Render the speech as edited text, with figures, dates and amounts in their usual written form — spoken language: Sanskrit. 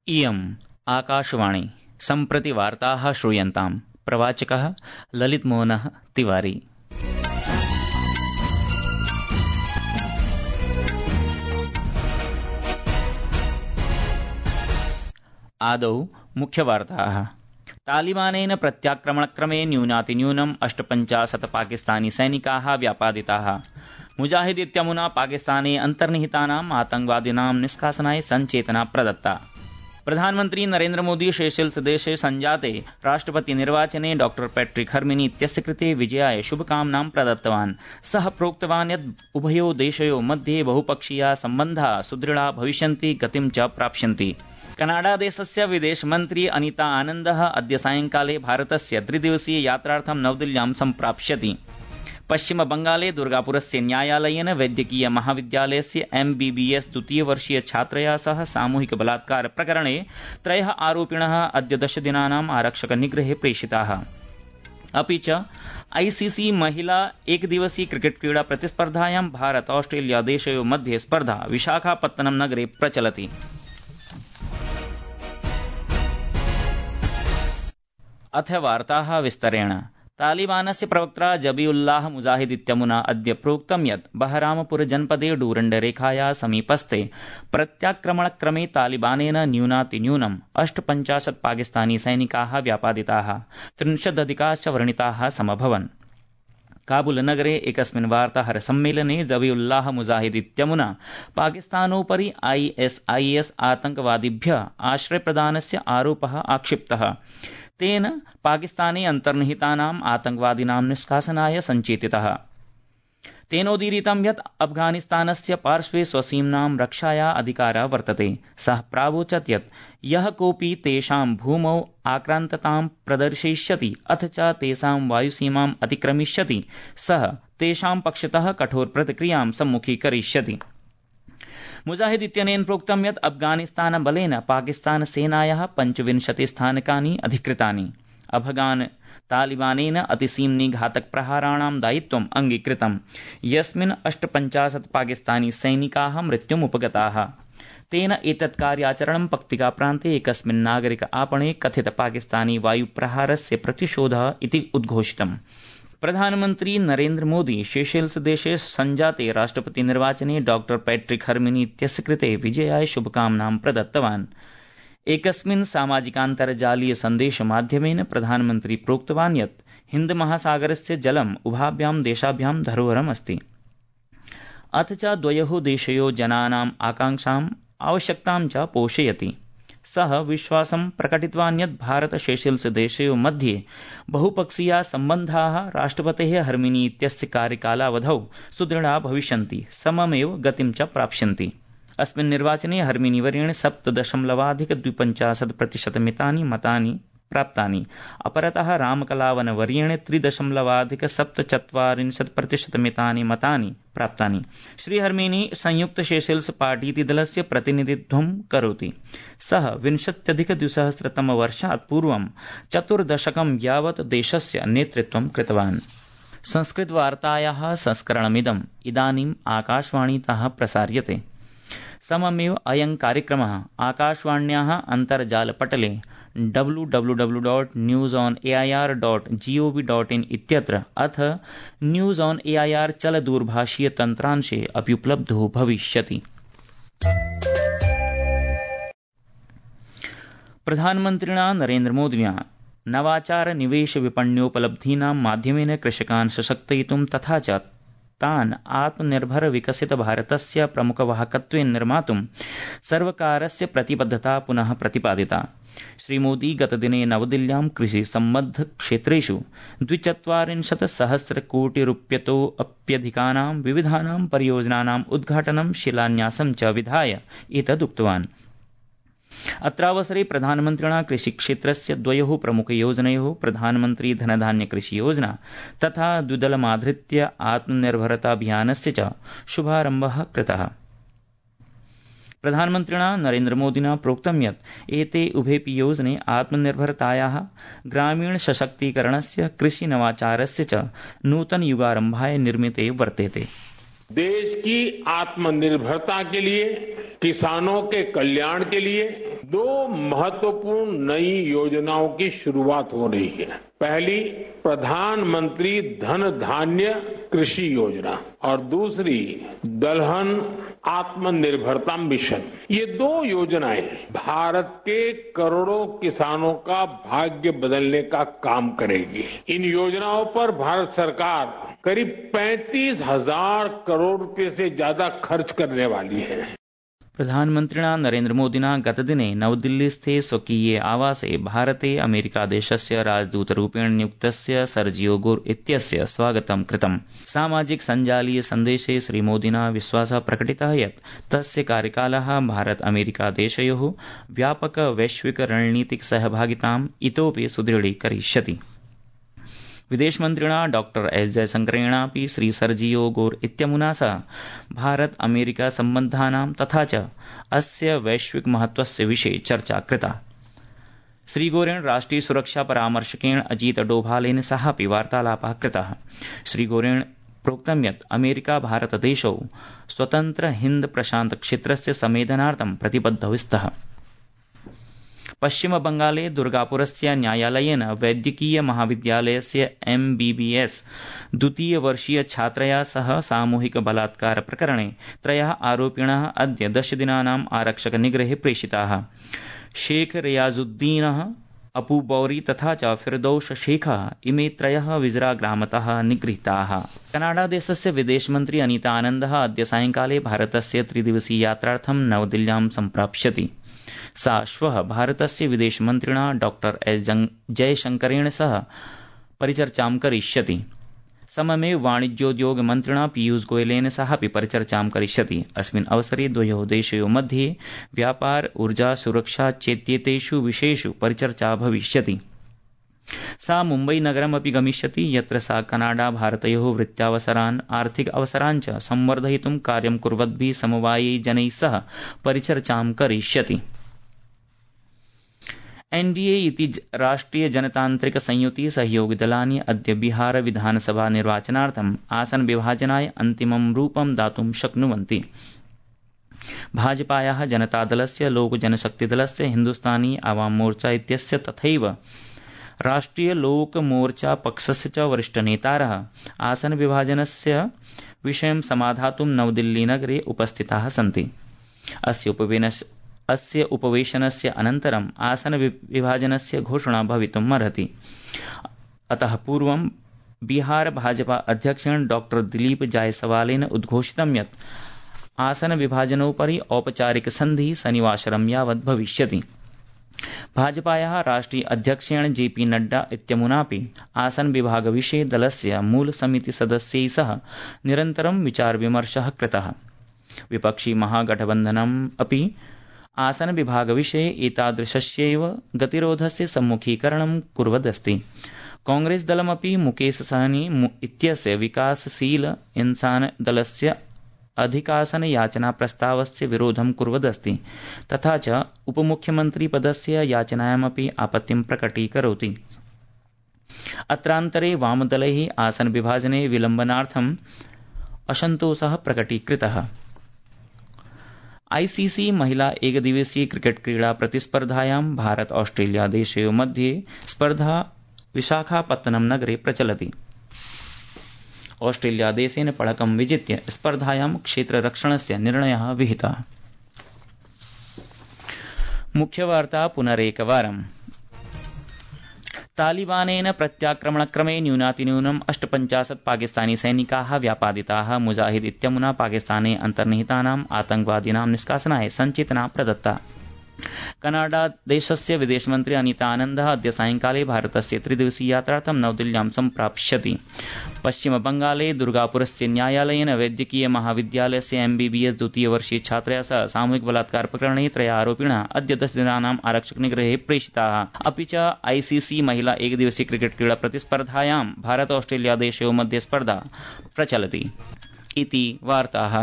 इयम् आकाशवाणी सम्प्रति वार्ताः श्रूयन्ताम्। प्रवाचकः ललितमोहनः तिवारी। आदौ मुख्यवार्ताः। तालिबानेन प्रत्याक्रमणक्रमे न्यूनातिन्यूनम् 58 पाकिस्तानी सैनिकाः व्यापादिताः। मुजाहिद इत्यमुना पाकिस्ताने अन्तर्निहितानाम् आतंकवादिनां निष्कासनाय संचेतना प्रदत्ता। प्रधानमन्त्री नरेन्द्र मोदी सेशेल्स देशे संजाते राष्ट्रपति निर्वाचने डॉ पैट्रिक हर्मिनी इत्यस्य कृते विजयाय शुभकामनां प्रदत्तवान्। सः प्रोक्तवान् यत् उभयो देशयो मध्ये बहुपक्षीया सम्बन्धाः सुदृढा भविष्यन्ति, गतिं च प्राप्स्यन्ति। कनाडा देशस्य विदेशमन्त्री अनिता आनन्दः अद्य सायंकाले भारतस्य 3 दिवसीय यात्रार्थं नवदिल्ल्यां सम्प्राप्स्यति। पश्चिम बंगाले दुर्गापुरस्य न्यायालयेन वैद्यकीय महाविद्यालयस्य MBBS द्वितीयवर्षीय छात्रया सह सामूहिक बलात्कार प्रकरणे 3 आरोपिणः अद्य 10 दिनानाम् आरक्षक निग्रहे प्रेषिताः। अपि च ICC महिला एकदिवसीय क्रिकेट क्रीडा प्रतिस्पर्धायां भारत ऑस्ट्रेलिया देशयोः मध्ये स्पर्धा विशाखापत्तनम नगरे प्रचलति। अथ वार्ताः विस्तरेण। तालिबानस्य प्रवक्त्रा जबीउल्लाह मुजाहिद इत्यमुना अद्य प्रोक्तं यत् बहरामपुर जनपदे डूरण्डरेखाया समीपस्थे प्रत्याक्रमणक्रमे तालिबानेन न्यूनातिन्यूनम् 58 पाकिस्तानी सैनिकाः व्यापादिताः, 30 अधिकाश्च व्रणिताः समभवन्। काबुल नगरे एकस्मिन् वार्ताहर सम्मेलने जबीउल्लाह मुजाहिद इत्यमुना पाकिस्तानोपरि ISIS आतंकवादिभ्यः आश्रयप्रदानस्य आरोपः आक्षिप्तः। तेन पाकिस्ताने अन्तर्निहितानाम् आतंकवादिनां निष्कासनाय संचेतितः। तेनोदीरितं यत् अफगानिस्तानस्य पार्श्वे स्वसीम्नां रक्षाया अधिकारः वर्तते। सः प्रावोचत् यत् यः कोऽपि तेषां भूमौ आक्रान्ततां प्रदर्शयिष्यति अथ च तेषां वायुसीमाम् अतिक्रमिष्यति, सः तेषां पक्षतः कठोर प्रतिक्रियां सम्मुखीकरिष्यति। मुजाहिद इत्यनेन प्रोक्तं यत् अफगानिस्तान बलेन पाकिस्तान सेनायाः 25 स्थानकानि अधिकृतानि। अफगान तालिबानेन अतिसीम्नि घातक प्रहाराणां दायित्वम् अंगीकृतम्, यस्मिन् 58 पाकिस्तानी सैनिकाः मृत्युमुपगताः। तेन एतत् कार्याचरणं पक्तिका प्रान्ते एकस्मिन् नागरिक आपणे कथित पाकिस्तानी वायुप्रहारस्य प्रतिशोधः इति उद्घोषितम्। प्रधानमन्त्री नरेन्द्र मोदी सेशेल्स देशे संजाते राष्ट्रपति निर्वाचने डॉ पैट्रिक हर्मिनी इत्यस्य कृते विजयाय शुभकामनां प्रदत्तवान्। एकस्मिन् सामाजिकान्तर्जालीय सन्देशमाध्यमेन प्रधानमन्त्री प्रोक्तवान् यत् हिन्द महासागरस्य जलम् उभाभ्यां देशाभ्यां धरोहरम् अस्ति, अथ च द्वयोः देशयोः जनानाम् आकांक्षाम् आवश्यकतां च पोषयति। सः विश्वासं प्रकटितवान् यत् भारत सेशेल्स देशयोः मध्ये बहुपक्षीया सम्बन्धाः राष्ट्रपतेः हर्मिनी इत्यस्य कार्यकालावधौ सुदृढा भविष्यन्ति, सममेव गतिं च प्राप्स्यन्ति। अस्मिन् निर्वाचने हर्मिनी वर्येण 7.250% मितानि मतानि प्राप्तानि। अपरतः रामकलावन वर्येण 3.47% मितानि मतानि प्राप्तानि। श्री हर्मिनी संयुक्त सेशेल्स पार्टी इति दलस्य प्रतिनिधित्वं करोति। सः 20-2000 वर्षात् पूर्वं 4 दशकं यावत् देशस्य नेतृत्वं कृतवान्। संस्कृतवार्तायाः संस्करणमिदम् इदानीम् आकाशवाणीतः प्रसार्यते। सममेव अयं कार्यक्रमः आकाशवाण्याः अन्तर्जालपटले www.newsonair.gov.in इत्यत्र अथ न्यूज़ ऑन AIR चलदूरभाषीय तन्त्रांशे अपि उपलब्धो भविष्यति। प्रधानमन्त्रिणा नरेन्द्र मोदिना नवाचार निवेश विपण्योपलब्धीनां माध्यमेन कृषकान् सशक्तयितुं तथा च तान् आत्मनिर्भर विकसित भारतस्य प्रमुखवाहकत्वेन निर्मातुं सर्वकारस्य प्रतिबद्धता पुनः प्रतिपादिता। श्रीमोदी गतदिने नवदिल्ल्यां कृषि सम्बद्ध क्षेत्रेषु 240 सहस्रकोटिरुप्यतोऽप्यधिकानां विविधानां परियोजनानाम् उद्घाटनं शिलान्यासं च विधाय एतदुक्तवान्। अत्रावसरे प्रधानमन्त्रिणा कृषिक्षेत्रस्य 2 प्रमुखयोजनयोः प्रधानमन्त्री धनधान्य कृषि योजना तथा द्विदलमाधृत्य आत्मनिर्भरताभियानस्य च शुभारम्भः कृतः। प्रधानमन्त्रिणा नरेन्द्र मोदिना प्रोक्तं यत् एते उभेऽपि योजने आत्मनिर्भरतायाः, ग्रामीण सशक्तीकरणस्य, कृषि नवाचारस्य च नूतन युगारम्भाय निर्मिते वर्तेते। देश की आत्मनिर्भरता के लिए, किसानों के कल्याण के लिए 2 महत्वपूर्ण नई योजनाओं की शुरुआत हो रही है। पहली प्रधानमंत्री धन धान्य कृषि योजना और दूसरी दलहन आत्मनिर्भरता मिशन। ये 2 योजनाएं भारत के करोड़ों किसानों का भाग्य बदलने का काम करेगी। इन योजनाओं पर भारत सरकार करीब 35,000 करोड़ रुपए से ज्यादा खर्च करने वाली है। प्रधानमन्त्रिणा नरेन्द्रमोदिना गतदिने नवदिल्लीस्थे स्वकीये आवासे भारते अमेरिकादेशस्य राजदूतरूपेण नियुक्तस्य सर्जियो गोर इत्यस्य स्वागतं कृतम्। सामाजिक सञ्जालीय सन्देशे श्रीमोदिना विश्वासः प्रकटितः यत् तस्य कार्यकालः भारत अमेरिकादेशयोः व्यापक वैश्विक रणनीतिक सहभागिताम् इतोपि सुदृढीकरिष्यति। विदेशमन्त्रिणा डॉक्टर एस जयशंकरेणापि श्री सर्जियो गोर इत्यमुना सह भारत अमेरिका सम्बन्धानां तथा च अस्य वैश्विक महत्वस्य विषये चर्चा कृता। श्रीगोरेण राष्ट्रिय सुरक्षा परामर्शकेण अजीत डोभालेन सहापि वार्तालापः कृतः। श्रीगोरेण प्रोक्तं यत् अमेरिका भारतदेशौ स्वतन्त्र हिन्द प्रशान्त क्षेत्रस्य संवेदनार्थं प्रतिबद्धौ स्तः। पश्चिम बंगाले दुर्गापुरस्य न्यायालयेन वैद्यकीय महाविद्यालयस्य MBBS द्वितीयवर्षीय छात्रया सह सामूहिक बलात्कार प्रकरणे 3 आरोपिणः अद्य 10 दिनानाम् आरक्षक निग्रहे प्रेषिताः। शेख रियाजुद्दीनः, अपू बौरी तथा च फिरदौश शेखः इमे 3 विजरा ग्रामतः निगृहीताः। कनाडा देशस्य विदेशमन्त्री अनीता आनन्दः अद्य सायंकाले भारतस्य 3-दिवसीय यात्रार्थं नवदिल्ल्यां सम्प्राप्स्यति। सा श्वः भारतस्य विदेशमन्त्रिणा डॉक्टर एस जयशंकरेण सह परिचर्चां करिष्यति। सममेव वाणिज्योद्योग मन्त्रिणा पीयूष गोयलेन सहापि परिचर्चां करिष्यति। अस्मिन् अवसरे द्वयोः देशयोः मध्ये व्यापार, ऊर्जा, सुरक्षा चेत्येतेषु विषयेषु परिचर्चा भविष्यति। सा मुम्बई नगरमपि गमिष्यति, यत्र सा कनाडा भारतयोः वृत्त्यावसरान्, आर्थिक अवसरान् च संवर्धयितुं कार्यं कुर्वद्भिः समवायिजनैः सह परिचर्चां करिष्यति। एनडीए इति राष्ट्रिय जनतान्त्रिक संयुति सहयोगि दलानि अद्य बिहार विधानसभा निर्वाचनार्थम् आसन विभाजनाय अन्तिमं रूपं दातुं शक्नुवन्ति। भाजपायाः जनतादलस्य, लोक जनशक्तिदलस्य, हिन्दुस्तानी आवाम मोर्चा इत्यस्य तथैव राष्ट्रिय लोक मोर्चा पक्षस्य च वरिष्ठनेतारः आसन विभाजनस्य विषयं समाधातुं नवदिल्लीनगरे उपस्थिताः सन्ति। अस्य उपवेशनस्य अनन्तरम् आसन विभाजनस्य घोषणा भवितुमर्हति। अतः पूर्वं बिहार भाजपा अध्यक्षेण डॉक्टर दिलीप जायसवालेन उद्घोषितं यत् आसन विभाजनोपरि औपचारिक सन्धिः शनिवासरं यावत् भविष्यति। भाजपायाः राष्ट्रिय अध्यक्षेण जेपी नड्डा इत्यमुनापि आसन विभाग विषये दलस्य मूल समिति सदस्यैः सह निरन्तरं विचार विमर्शः कृतः। विपक्षी महागठबन्धनम् अपि आसन विभाग विषये एतादृशस्यैव गतिरोधस्य सम्मुखीकरणं कुर्वदस्ति। कांग्रेस दलमपि मुकेश सहनी इत्यस्य विकासशील इंसान दलस्य अधिकासन याचना प्रस्तावस्य विरोधं कुर्वदस्ति, तथा च उपमुख्यमन्त्री पदस्य याचनायामपि आपत्तिं प्रकटीकरोति। अत्रान्तरे वामदलैः आसन विभाजने विलम्बनार्थम् असन्तोषः प्रकटीकृतः। आईसीसी महिला एकदिवसीय क्रिकेट क्रीडा प्रतिस्पर्धायां भारत ऑस्ट्रेलिया देशयोः मध्ये स्पर्धा विशाखापत्तनम नगरे प्रचलति। ऑस्ट्रेलिया देशेन पणकं विजित्य स्पर्धायां क्षेत्ररक्षणस्य निर्णयः विहितः। मुख्यवार्ता पुनरेकवारम्। तालिबानेन प्रत्याक्रमणक्रमे न्यूनातिन्यूनम् 58 पाकिस्तानी सैनिकाः व्यापादिताः। मुजाहिद इत्यमुना पाकिस्ताने अन्तर्निहितानाम् आतंकवादिनां निष्कासनाय संचेतना प्रदत्ता। कनाडा देशस्य विदेशमन्त्री अनीता आनन्दः अद्य सायंकाले भारतस्य 3-दिवसीय यात्रार्थं नवदिल्ल्यां सम्प्राप्स्यति। पश्चिम बंगाले दुर्गापुरस्य न्यायालयेन वैद्यकीय महाविद्यालयस्य MBBS द्वितीयवर्षीय छात्रया सह सामूहिक बलात्कार प्रकरणे 3 आरोपिणः अद्य 10 दिनानाम् आरक्षक निग्रहे प्रेषिताः। अपि च आईसीसी महिला एकदिवसीय क्रिकेट क्रीडा प्रतिस्पर्धायां भारत ऑस्ट्रेलिया देशयोः मध्ये स्पर्धा प्रचलति। इति वार्ताः।